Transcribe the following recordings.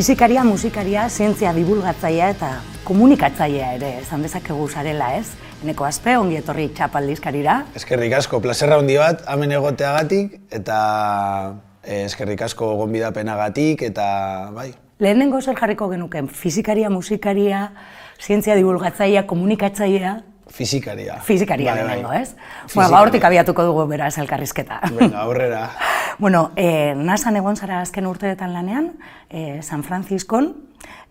Fizikaria, musikaria, zientzia divulgatzailea eta komunikatzailea ere esan dezakegu zarela, ez? Eneko Aspe, ongi etorri txapaldizkarira. Eskerrik asko, plazerra handi bat, hemen egoteagatik, eta eskerrik asko gonbidapenagatik, eta bai. Lehenengo zer jarriko genuken, fizikaria, musikaria, zientzia divulgatzailea, komunikatzailea? Fizikaria. Fizikaria lehenengo, ez? Bueno, hortik abiatuko dugu beraz elkarrizketa. Venga, aurrera. Bueno, NASAn egon zara azken urteetan lanean, San Franciscon,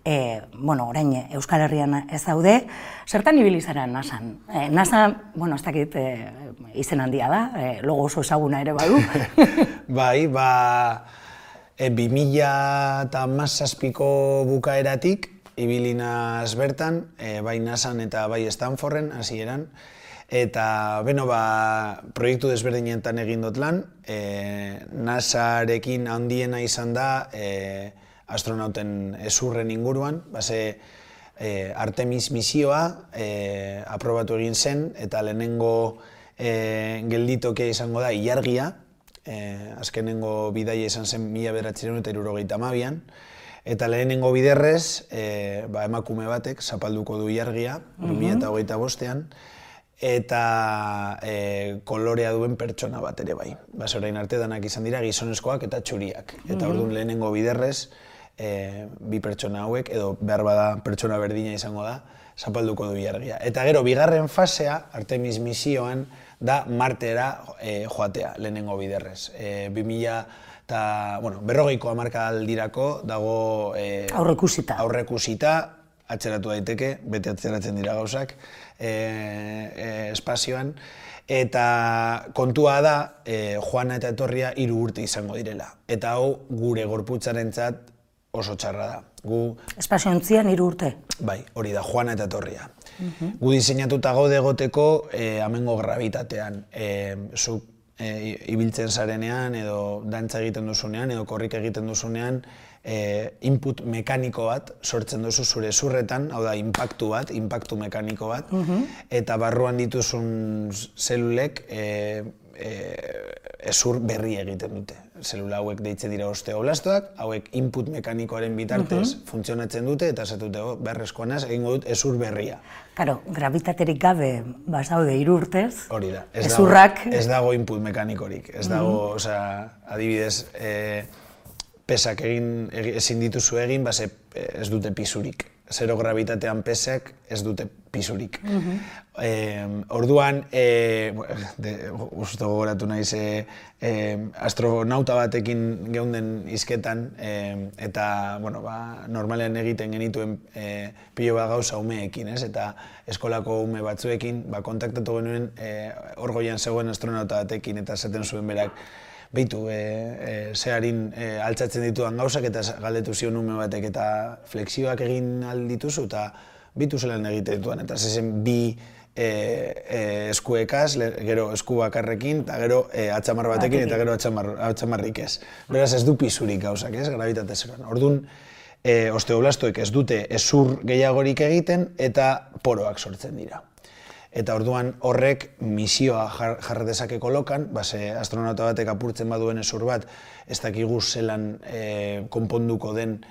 orain Euskal Herrian ez daude, zertan ibili zara NASAn? NASA, ez dakit izen handia da, logo oso ezaguna ere badu. Bai, 2017ko bukaeratik, ibili naz bertan, bai NASAn eta bai Stanforden hasieran, eta proiektu desberdinetan egin dut lan, NASArekin handiena izan da astronauten hezurren inguruan, Artemis misioa aprobatu egin zen, eta lehenengo gelditokia izango da ilargia, azkenengo bidaia izan zen 1972an, eta lehenengo biderrez, emakume batek zapalduko du ilargia, 2025an, eta kolorea duen pertsona bat ere bai. Orain arte danak izan dira gizonezkoak eta txuriak. Eta orduan lehenengo biderrez, bi pertsona hauek, edo behar bada pertsona berdina izango da, zapalduko du ilargia. Eta gero, bigarren fasea, Artemis misioan, da Martera joatea, lehenengo biderrez. 2050ko hamarkadaldirako dago aurreikusita, atzeratu daiteke, bete atzeratzen dira gauzak, espazioan, eta kontua da joana eta etorria 3 urte izango direla. Eta hau gure gorputzarentzat oso txarra da. Espaziontzian 3 urte? Bai, hori da, joana eta etorria. Gu diseinatuta gaude egoteko hemengo grabitatean. Zuk ibiltzen zarenean, edo dantza egiten duzunean, edo korrika egiten duzunean, input mekaniko bat sortzen duzu zure zurretan, hau da, inpaktu mekaniko bat, eta barruan dituzun zelulek hezur berri egiten dute. Zelula hauek deitzen dira osteoblastoak, hauek input mekanikoaren bitartez funtzionatzen dute, eta esatute, beharrezkoa naz, egingo dut hezur berria. Karo, grabitaterik gabe bazaude 3 urtez, hezurrak... Ez dago input mekanikorik, ez dago, adibidez, pesak ezin dituzu egin, ez dute pisurik. Zero grabitatean pesak ez dute pisurik. Orduan, uste gogoratu naiz, astronauta batekin geunden hizketan, eta normalean egiten genituen pilo bat gauza umeekin, eta eskolako ume batzuekin kontaktatu genuen hor goian zegoen astronauta batekin, eta esaten zuen berak, behitu, zeharin altzatzen ditudan gauzak eta galdetu zion ume batek eta flexioak egin aldituzu eta bitu zelan egiten ditudan. Eta zezen bi eskuekaz, gero esku bakarrekin, eta gero atxamar batekin eta gero atxamarrik ez. Beraz ez du pisurik gauzak, ez, grabitate zeroan. Orduan, osteoblastoek ez dute hezur gehiagorik egiten eta poroak sortzen dira. Eta orduan horrek misioa jarra dezake kolokan, astronauta batek apurtzen baduen hezur bat, ez dakigu zelan konponduko den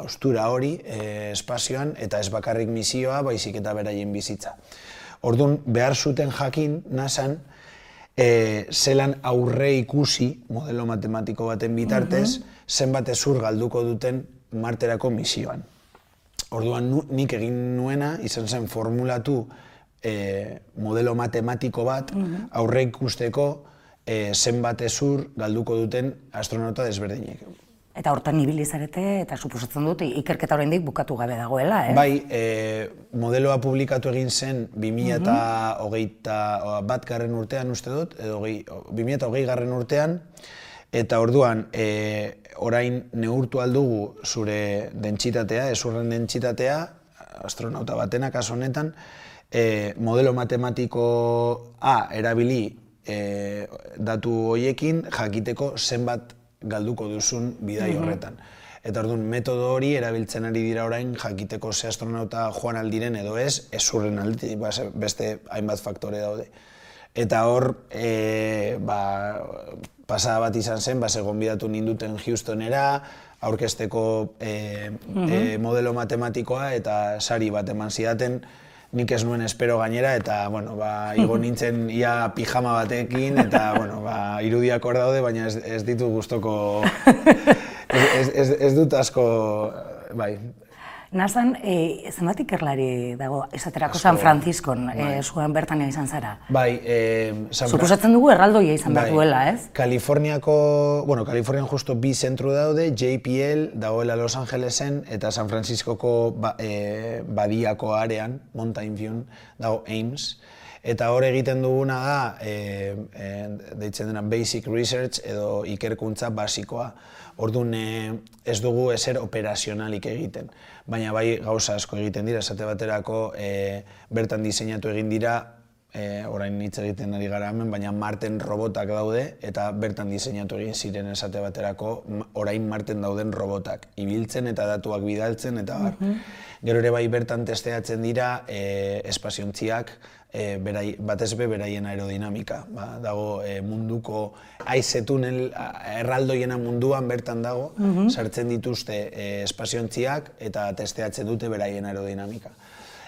ostura hori espazioan, eta ez bakarrik misioa, baizik eta beraien bizitza. Orduan behar zuten jakin NASAn zelan aurre ikusi, modelo matematiko baten bitartez, zenbat hezur galduko duten Marterako misioan. Orduan nik egin nuena izan zen formulatu modelo matematiko bat aurre ikusteko zenbat hezur galduko duten astronauta desberdinek. Eta hortan ibili zarete, eta suposatzen dut, ikerketa oraindik bukatu gabe dagoela, Bai, modeloa publikatu egin zen 2021. Urtean uste dut, edo 2020. Urtean, eta orduan orain neurtu aldugu zure dentsitatea, hezurren dentsitatea, astronauta batena kasu honetan, modelo matematikoa erabili datu horiekin jakiteko zenbat galduko duzun bidai horretan. Eta orduan, metodo hori erabiltzen ari dira orain jakiteko ze astronauta joan aldiren edo ez, hezurren aldi, beste hainbat faktore daude. Eta hor, pasada bat izan zen, gonbidatu ninduten Houstonera, aurkezteko modelo matematikoa eta sari bat eman zidaten, nik ez nuen espero gainera, eta, igo nintzen ia pijama batekin, eta, irudiak hor daude, baina ez ditu gustoko, ez dut asko, bai. Nazan, zenbat ikerlari dago, esaterako San Franciscon, zuen bertan izan zara? Bai, suposatzen dugu erraldoia izan behar duela, ez? Kalifornian justo bi zentru daude, JPL dagoela Los Angelesen, eta San Franciscoko badiako arean, Mountain View, dago Ames. Eta hor egiten duguna da, deitzen dena Basic Research edo ikerkuntza basikoa. Orduan ez dugu ezer operazionalik egiten, baina bai gauza asko egiten dira, esate baterako bertan diseinatu egin dira, orain hitz egiten ari gara hemen, baina Marten robotak daude eta bertan diseinatu egin ziren esate baterako orain Marten dauden robotak, ibiltzen eta datuak bidaltzen eta bar. Gero ere bai bertan testeatzen dira espaziontziak, batez be beraien aerodinamika. Dago munduko haize tunel erraldoiena munduan bertan dago, sartzen dituzte espaziontziak eta testeatzen dute beraien aerodinamika.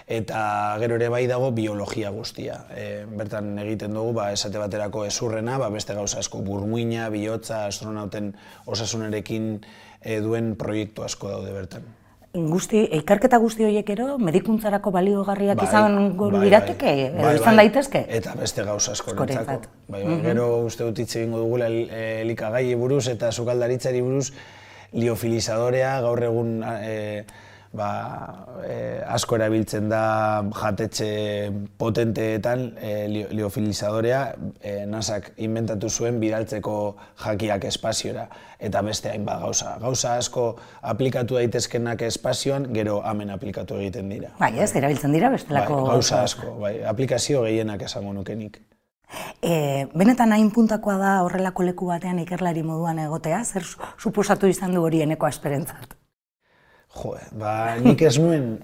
Eta gero ere bai dago biologia guztia. Bertan egiten dugu, esate baterako ezurrena, beste gauza asko, burmuina, bihotza, astronauten osasunarekin duen proiektu asko daude bertan. Ikerketa guzti horiek ero, medikuntzarako baliogarriak izan lirateke, edo izan daitezke? Eta beste gauza asko nintzako. Gero uste dut hitz egingo dugula elikagai buruz eta sukaldaritzari buruz, liofilizadorea gaur egun asko erabiltzen da jatetxe potenteetan liofilizadorea, NASAk inventatu zuen bidaltzeko jakiak espaziora eta beste hainbat gauza. Gauza asko aplikatu daitezkenak espazioan, gero hemen aplikatu egiten dira. Bai, ez, erabiltzen dira bestelako... Gauza asko, aplikazio gehienak esango nukenik. Benetan hain puntakoa da horrelako leku batean ikerlari moduan egotea, zer suposatu izan du horieneko esperentzat? Nik ez nuen,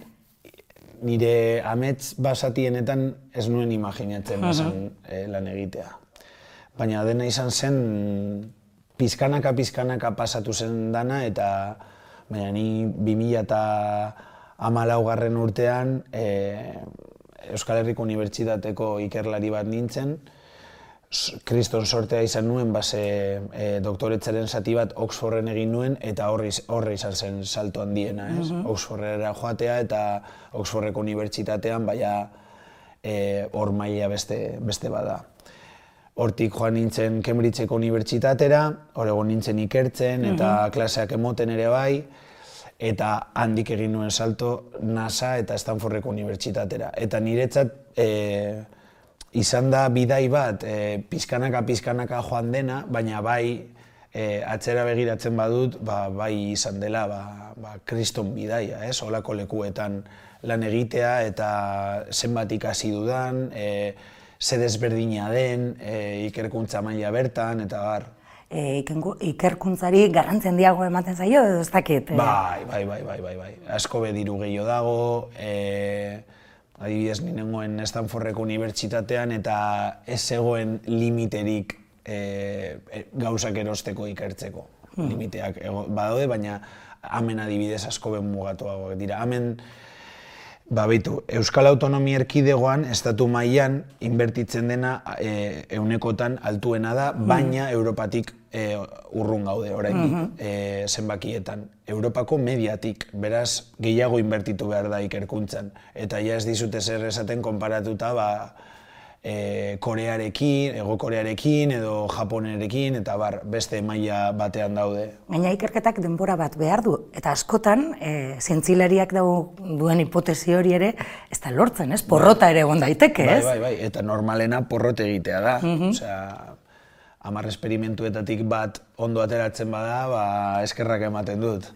nire amets basatienetan ez nuen imaginatzen lan egitea. Baina dena izan zen, pizkanaka pasatu zen dana, eta ni 2014 urtean Euskal Herriko Unibertsitateko ikerlari bat nintzen, kriston sortea izan nuen, doktoretzaren zati bat Oxforden egin nuen, eta horre izan zen salto handiena, Oxfordera joatea, eta Oxfordeko unibertsitatean, hor maila beste bada. Hortik joan nintzen Cambridgeko unibertsitatera, hor egon nintzen ikertzen, eta klaseak emoten ere bai, eta handik egin nuen salto NASA eta Stanfordeko unibertsitatera. Eta niretzat, izan da bidai bat, pizkanaka joan dena, baina bai atzera begiratzen badut, bai izan dela kriston bidaia, holako lekuetan lan egitea eta zenbat ikasi dudan, ze desberdina den, ikerkuntza maila bertan, eta bar. Ikerkuntzari garrantzia handiago ematen zaio, edo ez dakit? Bai, asko be diru gehiago dago, adibidez, nengoen Stanfordeko unibertsitatean eta ez zegoen limiterik gauzak erosteko ikertzeko. Limiteak badaude, baina hemen adibidez asko ben mugatuagoak dira. Hemen, Euskal Autonomia Erkidegoan, estatu mailan, inbertitzen dena ehunekotan altuena da, baina Europatik urrun gaude oraindik zenbakietan. Europako mediatik, beraz gehiago inbertitu behar da ikerkuntzan. Eta ja ez dizute zer esaten konparatuta Korearekin, Hego Korearekin edo Japonerekin, eta beste maila batean daude. Baina ikerketak denbora bat behar du, eta askotan, zientzilariak duen hipotesi hori ere, ez da lortzen, ez? Porrota ere egon daiteke, ez? Bai, eta normalena porrot egitea da. Osea, 10 esperimentuetatik bat ondo ateratzen bada, eskerrak ematen dut.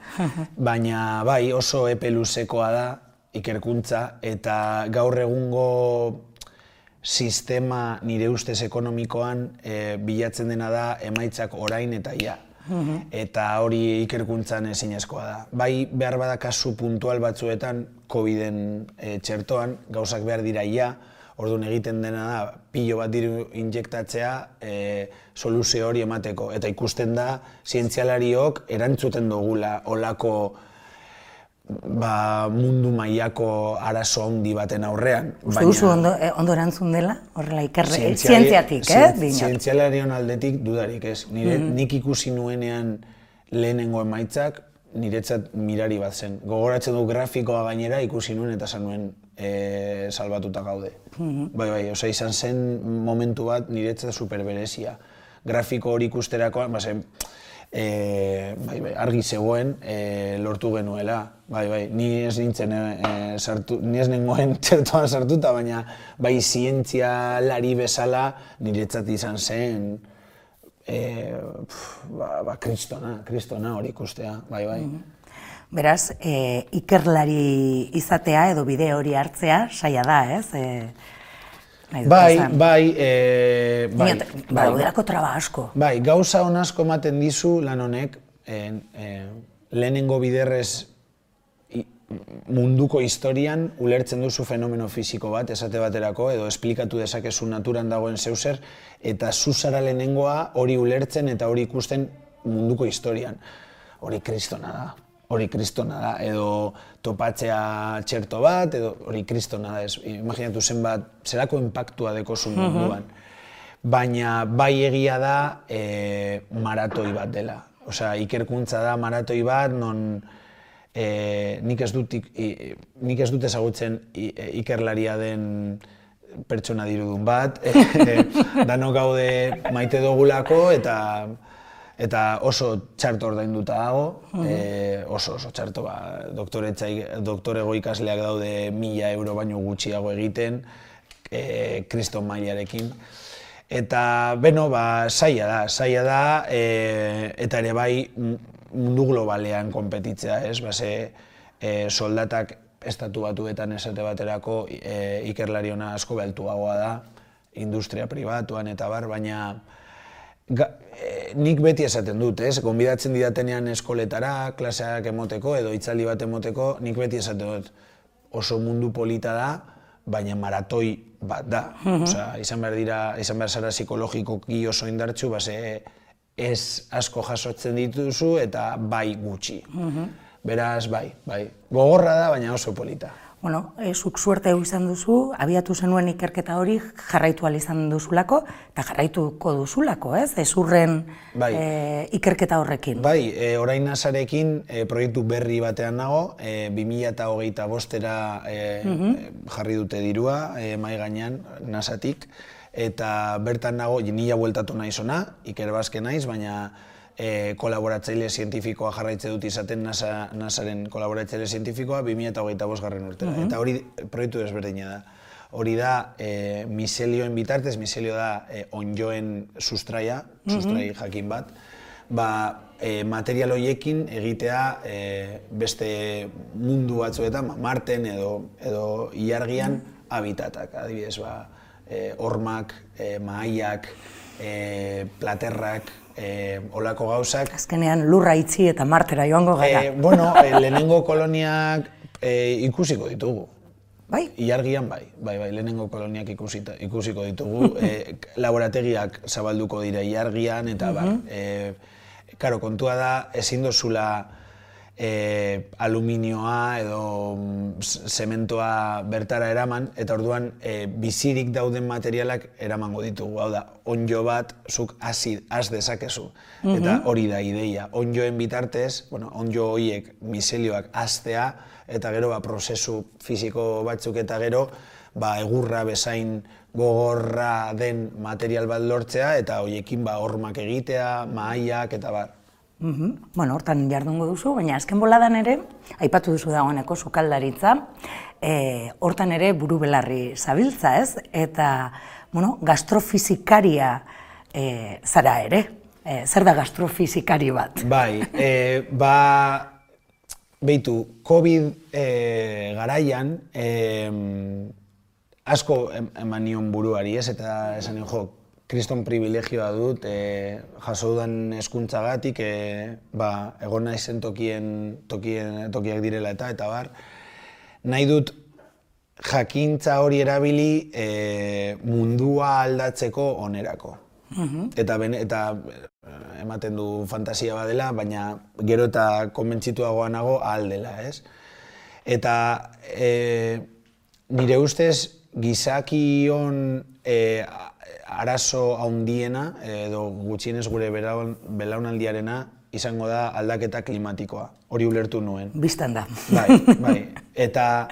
Baina bai, oso epe luzekoa da ikerkuntza, eta gaur egungo sistema nire ustez ekonomikoan bilatzen dena da emaitzak orain eta ja. Eta hori ikerkuntzan ezinezkoa da. Bai, behar bada kasu puntual batzuetan, COVID-en txertoan, gauzak behar dira ja, Orduan egiten dena da, pilo bat diru injektatzea soluzio hori emateko. Eta ikusten da, zientzialariok erantzuten dugula olako mundu mailako arazo handi baten aurrean. Uste duzu ondo erantzun dela? Horrela, zientziatik, Zientzialarion aldetik dudarik ez. Nik ikusi nuenean lehenengo emaitzak, niretzat mirari bat zen. Gogoratzen du grafikoa gainera ikusi nuen eta esan nuen salbatuta gaude. Osea, izan zen momentu bat niretzat superberezia. Grafiko hori ikusterakoan, argi zegoen lortu genuela. Ni ez nintzen ni ez nengoen txertoan sartuta, baina zientzialari bezala niretzat izan zen kristona hori ikustea, Beraz, ikerlari izatea edo bide hori hartzea saia da, ez? Daudelako traba asko. Gauza hon asko ematen dizu lan honek, lehenengo biderrez munduko historian ulertzen duzu fenomeno fisiko bat, esate baterako, edo esplikatu dezakezu naturan dagoen zeuzer, eta zuzara lehenengoa hori ulertzen eta hori ikusten munduko historian. Hori kristona da, edo topatzea txerto bat, edo hori kristona da, imaginatu zenbat, zerako impactua dekozu munduan. Baina bai egia da maratoi bat dela. Osea, ikerkuntza da maratoi bat, non nik ez dut ezagutzen ikerlaria den pertsona dirudun bat, danok gaude maite dugulako eta oso txarto ordainduta dago, oso txarto, doktorego ikasleak daude 1.000 euro baino gutxiago egiten, kriston mailarekin. Eta, zaila da, eta ere bai mundu globalean konpetitzea, ez? Soldatak estatu batuetan esate baterako ikerlariona asko bealtuagoa da, industria pribatuan eta bar, baina nik beti esaten dut, ez? Gonbidatzen didatenean eskoletara, klaseak emoteko edo hitzaldi bat emoteko, nik beti esaten dut oso mundu polita da, baina maratoi bat da. Izan behar zara psikologikoki oso indartsu, ez asko jasotzen dituzu eta bai gutxi. Beraz, bai. Gogorra da, baina oso polita. Bueno, zuk suerte izan duzu, abiatu zenuen ikerketa hori jarraitu ahal izan duzulako, eta jarraituko duzulako, ez? Ezurren ikerketa horrekin. Bai, orain nasarekin proiektu berri batean nago, 2025-era jarri dute dirua, mahai gainean, nasatik, eta bertan nago, nila bueltatu naiz ona, ikerbazke naiz, baina kolaboratzaile zientifikoa jarraitze dut izaten NASAren kolaboratzaile zientifikoa 2025 urtera. Eta hori proiektu desberdina da. Hori da miselioen bitartez, miselio da onjoen sustrai jakin bat, material horiekin egitea beste mundu batzuetan, Marten edo ilargian habitatak, adibidez, hormak, mahaiak, platerrak, olako gauzak. Azkenean lurra itzi eta Martera joango gara. Lehenengo koloniak ikusiko ditugu. Bai? Ilargian bai, lehenengo koloniak ikusiko ditugu. Laborategiak zabalduko dira ilargian eta karo, kontua da ezin dozula aluminioa edo zementoa bertara eraman, eta orduan bizirik dauden materialak eramango ditugu. Hau da, onjo bat zuk has dezakezu. Eta hori da ideia. Onjoen bitartez, onjo horiek miselioak hastea, eta gero prozesu fisiko batzuk eta gero egurra bezain gogorra den material bat lortzea, eta horiekin hormak egitea, mahaiak eta bar. Hortan jardungo duzu, baina azken boladan ere, aipatu duzu dagoeneko sukaldaritza, hortan ere buru belarri zabiltza, ez? Eta, gastrofizikaria zara ere. Zer da gastrofizikari bat? Bai, behitu, COVID garaian, asko eman nion buruari, ez? Eta esan nion, kriston privilegioa dut, jaso dudan hezkuntzagatik, egon naizen tokiak direla eta bar. Nahi dut jakintza hori erabili mundua aldatzeko onerako. Eta ematen du fantasia badela, baina gero eta konbentzituagoa nago ahal dela, ez? Eta nire ustez gizakion arazo handiena, edo gutxienez gure belaunaldiarena, izango da aldaketa klimatikoa. Hori ulertu nuen. Bistan da. Bai. Eta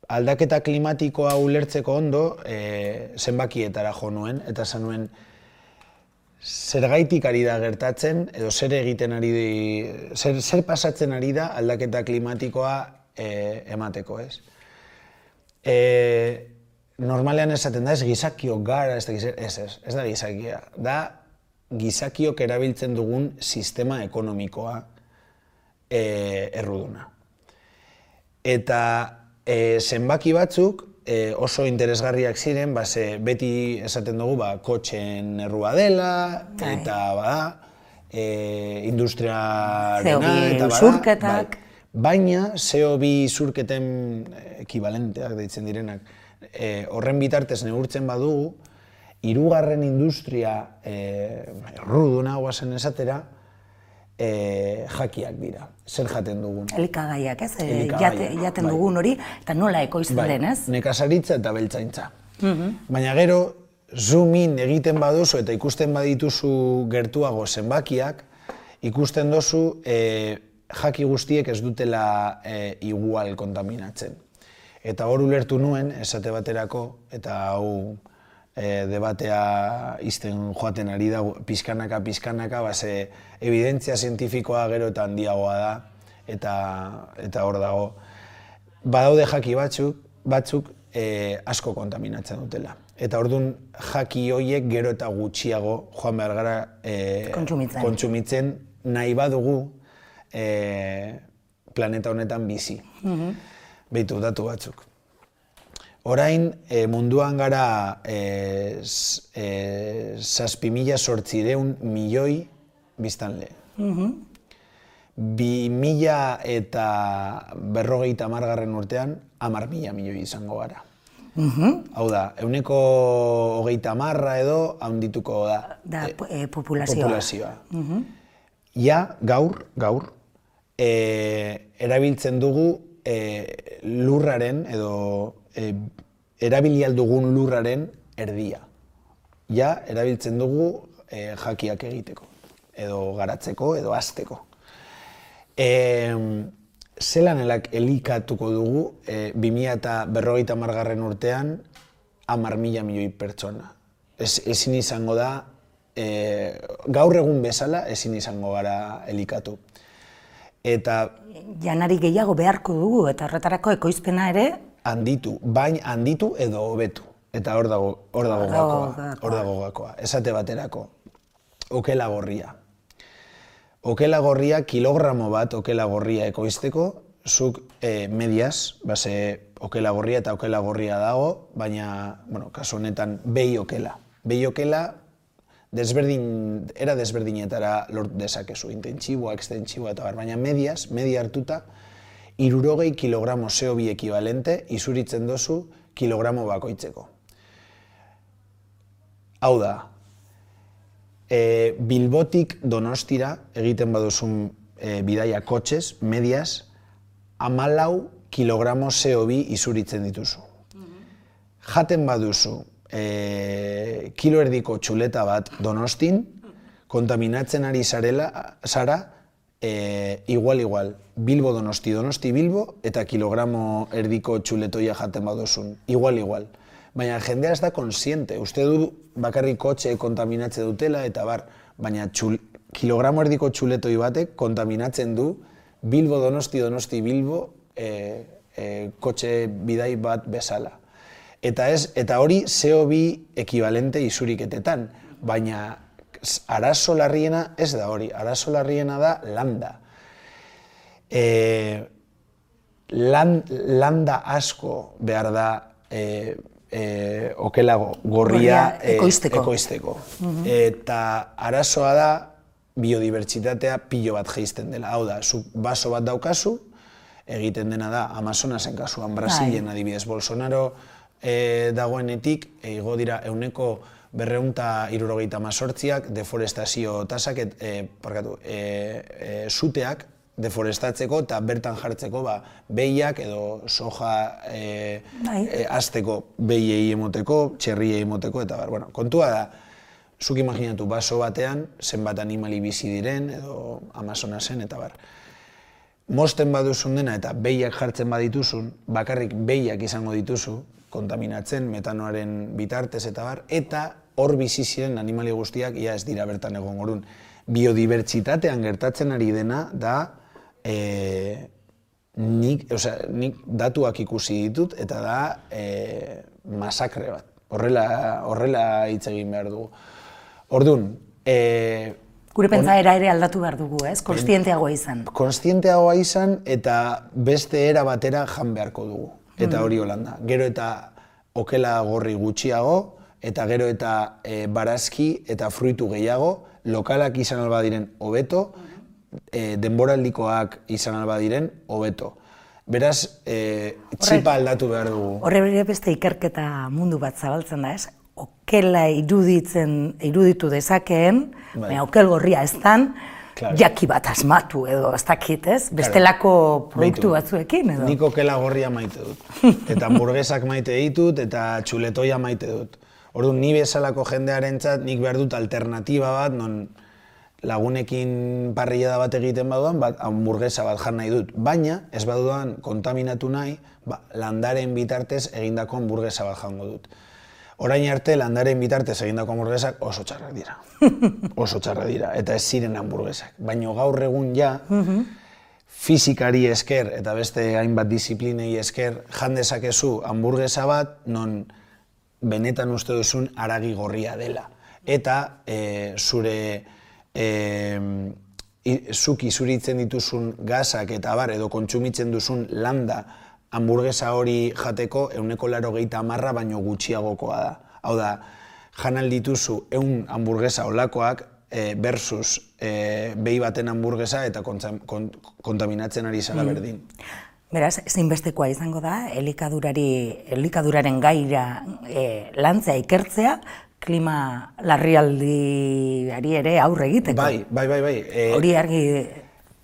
aldaketa klimatikoa ulertzeko ondo, zenbakietara jo nuen, eta esan nuen, zergaitik ari da gertatzen, edo zer egiten ari zer pasatzen ari da aldaketa klimatikoa emateko, ez? Normalean esaten da, ez gizakiok gara, ez da gizakia. Da gizakiok erabiltzen dugun sistema ekonomikoa erruduna. Eta zenbaki batzuk oso interesgarriak ziren, beti esaten dugu kotxeen errua dela, eta industriarena, CO2 usurketak. Baina CO2 usurketen ekibalenteak deitzen direnak, horren bitartez neurtzen badugu, hirugarren industria erruduna guazen esatera, jakiak dira. Zer jaten dugun? Elikagaiak, ez? Jaten dugun hori, eta nola ekoizten den, ez? Nekazaritza eta beltzaintza. Baina gero, zoom in egiten baduzu eta ikusten badituzu gertuago zenbakiak, ikusten duzu jaki guztiek ez dutela igual kontaminatzen. Eta hor ulertu nuen, esate baterako, eta hau debatea izten joaten ari da, pizkanaka, evidentzia zientifikoa gero eta handiagoa da, eta hor dago. Badaude jaki batzuk asko kontaminatzen dutela. Eta orduan jaki horiek gero eta gutxiago joan behar gara kontsumitzen nahi badugu planeta honetan bizi. Beitu, datu batzuk. Orain munduan gara 7.800 milioi biztanle. 2050 urtean 10.000 milioi izango gara. Hau da, 30% edo handituko da populazioa. Ja, gaur, erabiltzen dugu lurraren edo erabili aldugun lurraren erdia. Ja, erabiltzen dugu jakiak egiteko, edo garatzeko, edo hazteko. Zelan elikatuko dugu 2050 urtean 10.000 milioi pertsona. Ezin izango da, gaur egun bezala ezin izango gara elikatu. Eta janari gehiago beharko dugu, eta horretarako ekoizpena ere handitu edo hobetu. Eta hor dago gakoa. Esate baterako, okela gorria. Okela gorria, kilogramo bat okela gorria ekoizteko, zuk mediaz, okela gorria eta okela gorria dago, baina, kasu honetan, behi okela. Behi okela, era desberdinetara lort dezakezu, intentsiboa, ekstentsiboa eta baina mediaz, media hartuta, 60 kilogramo CO2 ekibalente izuritzen dozu kilogramo bakoitzeko. Hau da, Bilbotik Donostira egiten baduzun bidaia kotxez, mediaz, 14 kilogramo CO2 izuritzen dituzu. Jaten baduzu kilo erdiko txuleta bat Donostin, kontaminatzen ari zara igual, Bilbo Donosti, Donosti Bilbo, eta kilogramo erdiko txuletoia jaten baduzun, igual. Baina jendea ez da konsiente, uste du bakarrik kotxe kontaminatze dutela, eta baina kilogramo erdiko txuletoi batek kontaminatzen du Bilbo Donosti, Donosti Bilbo kotxe bidai bat bezala. Eta hori CO2 ekibalente izuriketetan, baina arazo larriena ez da hori, arazo larriena da landa. Landa asko behar da okela gorria ekoizteko. Eta arazoa da biodibertsitatea pilo bat jaisten dela. Hau da, zuk baso bat daukazu, egiten dena da Amazonasen kasuan, Brasilen adibidez, Bolsonaro dagoenetik, igo dira 278ak deforestazio tasak, suteak deforestatzeko eta bertan jartzeko behiak edo soja azteko behiei emoteko, txerriei emoteko, eta kontua da, zuk imaginatu baso batean, zenbat animali bizi diren, edo Amazonasen, eta mosten baduzun dena eta behiak jartzen badituzun, bakarrik behiak izango dituzu, kontaminatzen, metanoaren bitartez, eta hor bizi ziren animali guztiak, ia ez dira bertan egon gorun. Biodibertsitatean gertatzen ari dena da, nik datuak ikusi ditut, eta da masakre bat. Horrela hitz egin behar dugu. Orduan, gure pentsaera ere aldatu behar dugu, ez? Konstienteagoa izan. Konstienteagoa izan eta beste era batera jan beharko dugu. Eta hori holanda. Gero eta okela gorri gutxiago, eta gero eta barazki eta fruitu gehiago, lokalak izan alba diren hobeto, denboraldikoak izan alba diren hobeto. Beraz, txipa aldatu behar dugu. Horre beste ikerketa mundu bat zabaltzen da, ez? Okela iruditu dezakeen, okel gorria ez dan, jaki bat asmatu edo ez dakit, ez? Bestelako proiektu batzuekin edo? Nik okela gorria maite dut. Eta hamburguesak maite ditut eta txuletoia maite dut. Orduan, ni bezalako jendearentzat nik behar dut alternatiba bat, non lagunekin parrillada bat egiten baduan, hamburguesa bat jan nahi dut. Baina, ez baduan kontaminatu nahi, landaren bitartez egindako hamburguesa bat jango dut. Orain arte, landaren bitartez egindako hamburguesak oso txarrak dira. Oso txarrak dira, eta ez ziren hamburguesak. Baina gaur egun ja, fizikari esker eta beste hainbat disiplinei esker jan dezakezu hamburguesa bat, non benetan uste duzun haragi gorria dela. Eta zuk izuritzen dituzun gazak eta edo kontsumitzen duzun landa hamburguesa hori jateko 80% baino gutxiagokoa da. Hau da, jan aldituzu 100 hamburguesa olakoak versus behi baten hamburguesa eta kontaminatzen ari zara berdin. Beraz, ezinbestekoa izango da, elikaduraren gaira lantzea, ikertzea, klima larrialdiari ere aurre egiteko. Bai. Hori argi...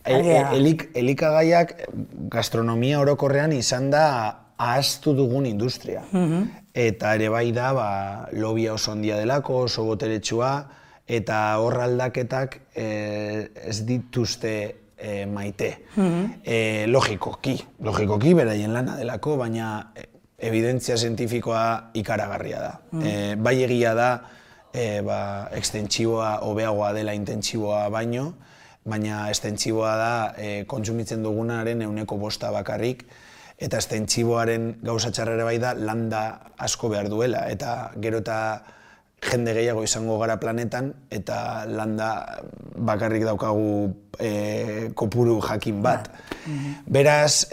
Elikagaiak gastronomia orokorrean izan da ahaztu dugun industria. Eta ere bai da lobia oso handia delako, oso boteretsua, eta hor aldaketak ez dituzte maite. Logikoki beraien lana delako, baina evidentzia zientifikoa ikaragarria da. Bai egia da, ekstentsiboa hobeagoa dela intentsiboa baino, baina estentsiboa da kontsumitzen dugunaren 5% bakarrik, eta estentsiboaren gauza txarrera bai da landa asko behar duela, eta gero eta jende gehiago izango gara planetan, eta landa bakarrik daukagu kopuru jakin bat. Beraz,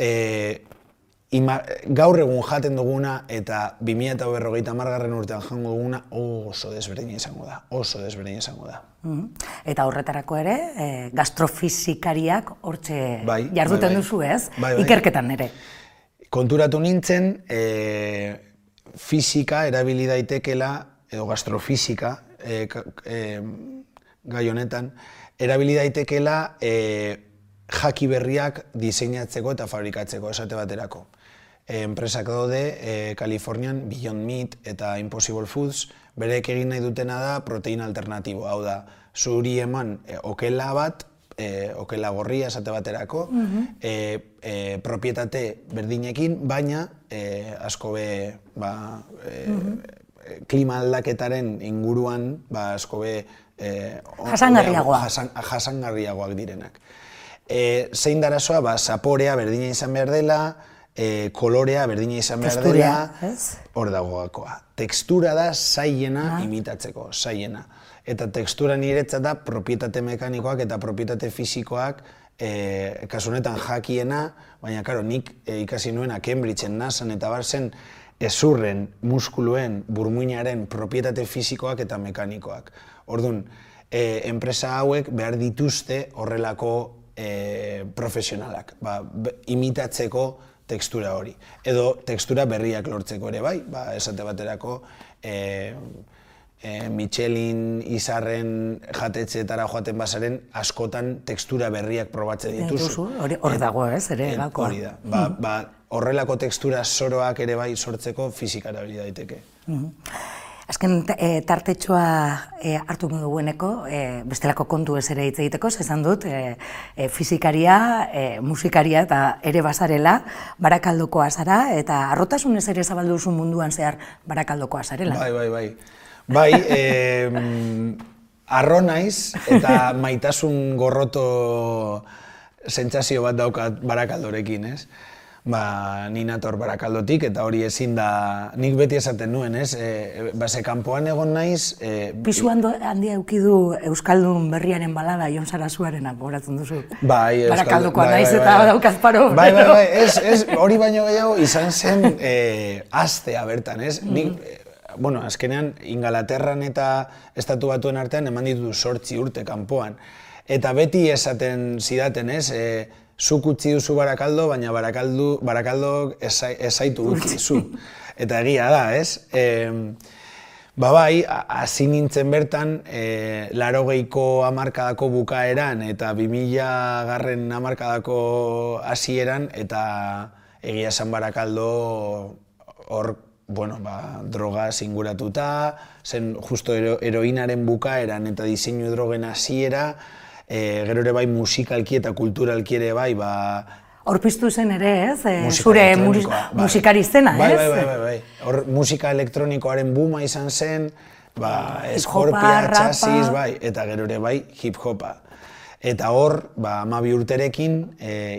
gaur egun jaten duguna eta 2050 urtean jango duguna oso desberdina izango da. Eta horretarako ere, gastrofizikariak hortxe jarduten duzu, ez? Ikerketan ere. Konturatu nintzen, fizika erabili daitekela, edo gastrofizika, gai honetan, erabili daitekela jaki berriak diseinatzeko eta fabrikatzeko, esate baterako. Enpresak daude, Kalifornian, Beyond Meat eta Impossible Foods, berek egin nahi dutena da proteina alternatibo. Hau da, zuri eman okela bat, okela gorria esate baterako, propietate berdinekin, baina asko be klima aldaketaren inguruan asko be jasangarriagoak direnak. Zein da arazoa, zaporea berdina izan behar dela, kolorea berdina izan behar dela, hor dago gakoa. Tekstura da zailena imitatzeko, zailena. Eta tekstura niretzat da propietate mekanikoak eta propietate fisikoak, kasu honetan jakiena, baina karo, nik ikasi nuena Cambridgeen, NASAn eta barzen ezurren, muskuluen, burmuinaren propietate fisikoak eta mekanikoak. Orduan, enpresa hauek behar dituzte horrelako profesionalak, imitatzeko tekstura hori. Edo tekstura berriak lortzeko ere bai, esate baterako Michelin izarren jatetxeetara joaten bazaren askotan tekstura berriak probatzen dituzu. Hor dago ez, ere gakoa. Hori da. Horrelako tekstura zoroak ere bai sortzeko fizikara hori daiteke. Azken tartetxoa hartu dugueneko, bestelako kontu ez ere hitz egiteko, esan dut, fizikaria, musikaria eta ere bazarela, Barakaldokoa zara, eta harrotasunez ere zabaldu duzu munduan zehar Barakaldokoa zarela. Bai, arro naiz eta maitasun gorroto sentsazio bat daukat Barakaldorekin, ez? Ni nator Barakaldotik eta hori ezin da, nik beti esaten nuen, ez? Ze kanpoan egon naiz... Pisu handia eukidu Euskaldun berriaren balada Jon Sarasuarena, gogoratzen duzu. Bai, Barakaldokoa naiz eta daukaz paro. Bai, hori baino gehiago izan zen astea bertan, ez? Bueno, azkenean, Ingalaterran eta Estatu Batuen artean eman ditut 8 urte kanpoan. Eta beti esaten zidaten, ez? Zuk utzi duzu Barakaldo, baina Barakaldok ez zaitu utzi zu. Eta egia da, ez? Bai, hasi nintzen bertan, 80ko hamarkadako bukaeran eta 2000 hamarkadako hasieran, eta egia esan Barakaldo hor, droga inguratuta, zen justo heroinaren bukaeran eta diseinu drogen hasiera, gero ere bai musikalki eta kulturalki ere bai, hor piztu zen ere, ez? Zure musikari zena, ez? Bai. Hor musika elektronikoaren booma izan zen, Scorpia, Chasis, eta gero ere bai hip-hopa. Eta hor, 12 urterekin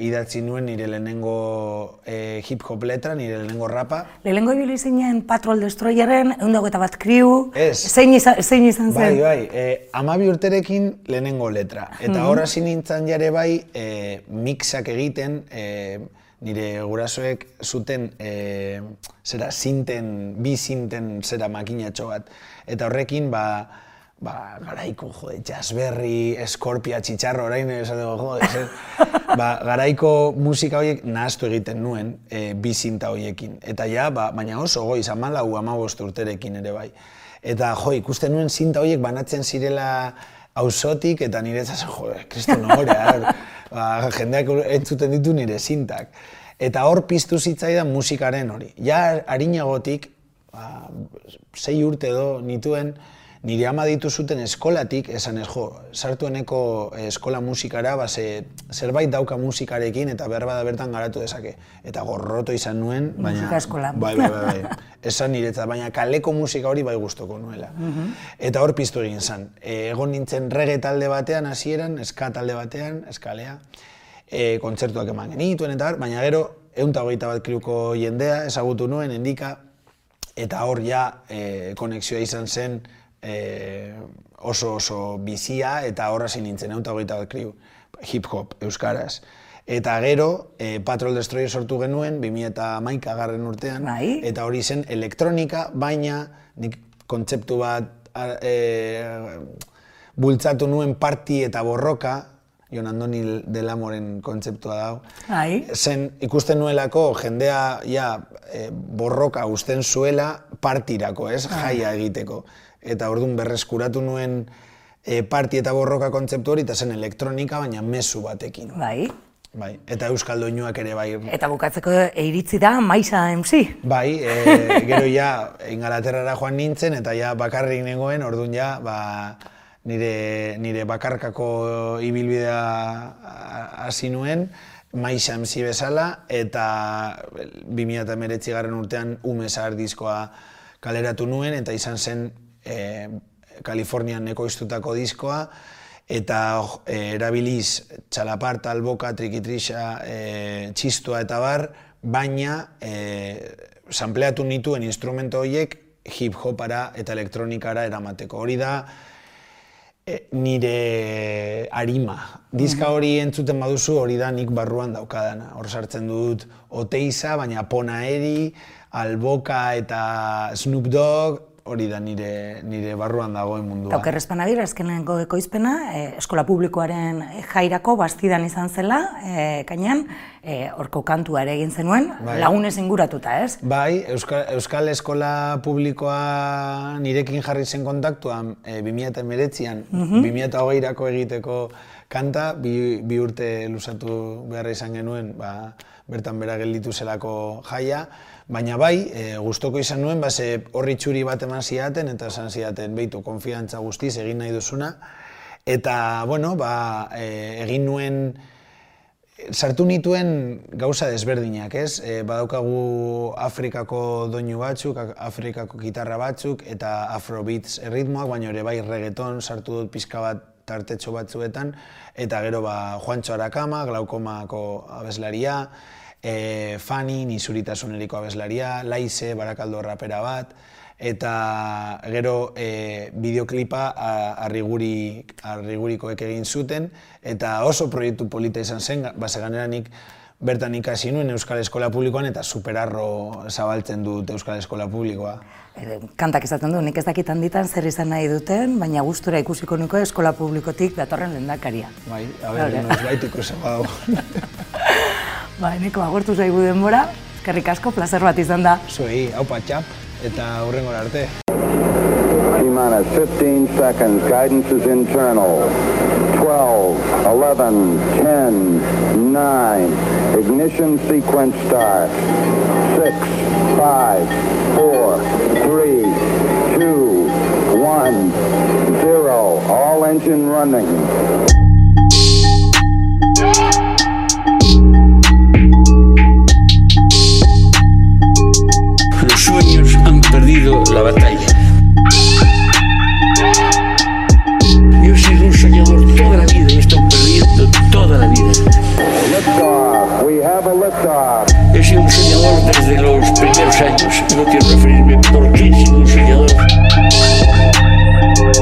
idatzi nuen nire lehenengo hip-hop letra, nire lehenengo rapa. Lehenengo ibili zinen Patrol Destroyerren, 121 Crew, zein izan zen? Bai, 12 urterekin lehenengo letra. Eta hor hasi nintzen jare bai mixak egiten, nire gurasoek zuten bi zinten makinatxo bat. Eta horrekin, garaiko, jazzberri, Scorpia, Txitxarro, orain esateko, garaiko musika horiek nahaztu egiten nuen bi zinta horiekin. Eta baina oso goiz, 14-15 urterekin ere bai. Eta ikusten nuen zinta horiek banatzen zirela auzotik, eta nire zazen, kriston horea, jendeak entzuten ditu nire zintak. Eta hor piztu zitzaidan musikaren hori. Ja harinagotik, 6 urte edo nituen, nire ama ditu zuten eskolatik, esan sartueneko eskola musikara, zerbait dauka musikarekin eta behar bada bertan garatu dezake. Eta gorroto izan nuen, baina... Musika eskola. Bai, esan niretzat, baina kaleko musika hori bai gustoko nuela. Eta hor piztu egin zen. Egon nintzen reggae talde batean hasieran, ska talde batean, eskalea, kontzertuak eman genituen eta baina gero, 121 Crewko jendea ezagutu nuen, endika, eta hor ja konexioa izan zen oso bizia eta horra zin nintzen, 121 Crew, hip-hop, euskaraz. Eta gero, Patrol Destroyer sortu genuen, 2011 urtean, eta hori zen elektronika, baina nik kontzeptu bat bultzatu nuen party eta borroka, Jon Andoni del Amoren kontzeptua dago. Zen ikusten nuelako jendea borroka usten zuela partirako, jaia egiteko. Eta orduan berreskuratu nuen party eta borroka kontzeptu hori, eta zen elektronika, baina mezu batekin. Bai. Eta euskaldoinuak ere bai. Eta bukatzeko iritzi da Maisa MC. Bai, gero Ingalaterrara joan nintzen, eta bakarrik nengoen, orduan nire bakarkako ibilbidea hasi nuen, Maisa MC bezala, eta 2019 urtean Ume Zahar diskoa kaleratu nuen, eta izan zen Kalifornian ekoiztutako diskoa, eta erabiliz txalaparta, alboka, trikitrixa, txistua eta bar, baina sampleatu nituen instrumento horiek hip-hopara eta elektronikara eramateko. Hori da nire arima. Diska hori entzuten baduzu, hori da nik barruan daukadana. Hor sartzen dut Oteiza, baina Pona Eri, Alboka eta Snoop Dogg, hori da nire barruan dagoen mundua. Oker Espanabir, azkenengo ekoizpena, eskola publikoaren jairako bastidan izan zela, kainan, horko kantua ere egin zenuen, lagunez inguratuta, ez? Bai, Euskal Eskola Publikoa nirekin jarri zen kontaktuan 2019an, 2020erako egiteko kanta, bi urte luzatu beharra izan genuen, bertan bera gelditu zelako jaia, baina bai, gustoko izan nuen, horri txuri bat eman zidaten, eta esan zidaten, behitu, konfiantza guztiz egin nahi duzuna, eta, bueno, egin nuen, sartu nituen gauza desberdinak, ez? Badaukagu Afrikako doinu batzuk, Afrikako gitarra batzuk, eta afrobeats erritmoak, baina ere bai reggaeton sartu dut pizka bat tartetxo batzuetan, eta gero Juancho Arakama, Glaukomako abeslaria, Fani, Nizuritasuneriko abeslaria, Laize, Barakaldo rapera bat, eta gero bideoklipa Arrigurikoek egin zuten, eta oso proiektu polita izan zen, gainera nik bertan ikasi nuen Euskal Eskola Publikoan, eta superarro zabaltzen dut Euskal Eskola Publikoa. Kantak izaten du, nik ez dakit handitan zer izan nahi duten, baina gustura ikusiko nuko Eskola Publikotik datorren lehendakaria. Bai, noiz bait ikusi badago. Neko agortu zaigu denbora, eskerrik asko, plazer bat izan da. Zuei, haupa txap, eta hurrengora arte. T-minus 15 seconds, guidance is internal. 12, 11, 10, 9, ignition sequence start. 6, 5, 4, 3, 2, 1, 0, all engine running. Los sueños han perdido la batalla. Yo he sido un soñador toda la vida y he estado perdiendo toda la vida. He sido un soñador desde los primeros años. No quiero referirme por qué he sido un soñador.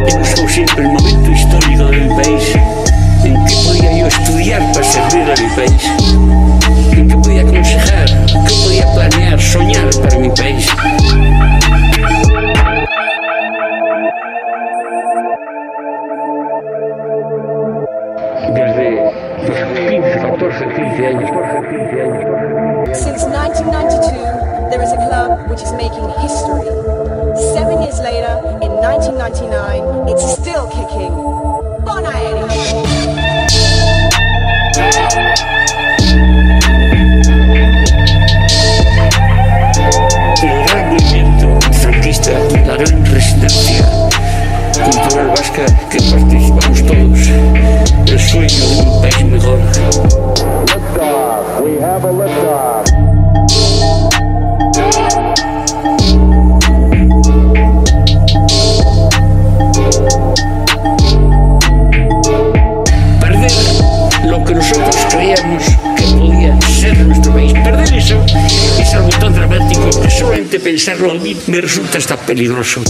He buscado siempre el momento histórico de mi país en que podía yo estudiar para servir a mi país, en que podía aconsejar, que podía planear, soñar para mi país. Desde los 15, 14, 15 años. Since 1992, there is a club which is making history. 7 years later, in 1999, it's still kicking. Bon Aeri! El gran movimiento franquista, la gran resistencia cultural vasca que participamos todos, el sueño de un país mejor. Liftoff, we have a liftoff. Perder lo que nosotros creíamos que podía ser nuestro país, perder eso es algo tan dramático que solamente pensarlo a mí me resulta hasta peligroso.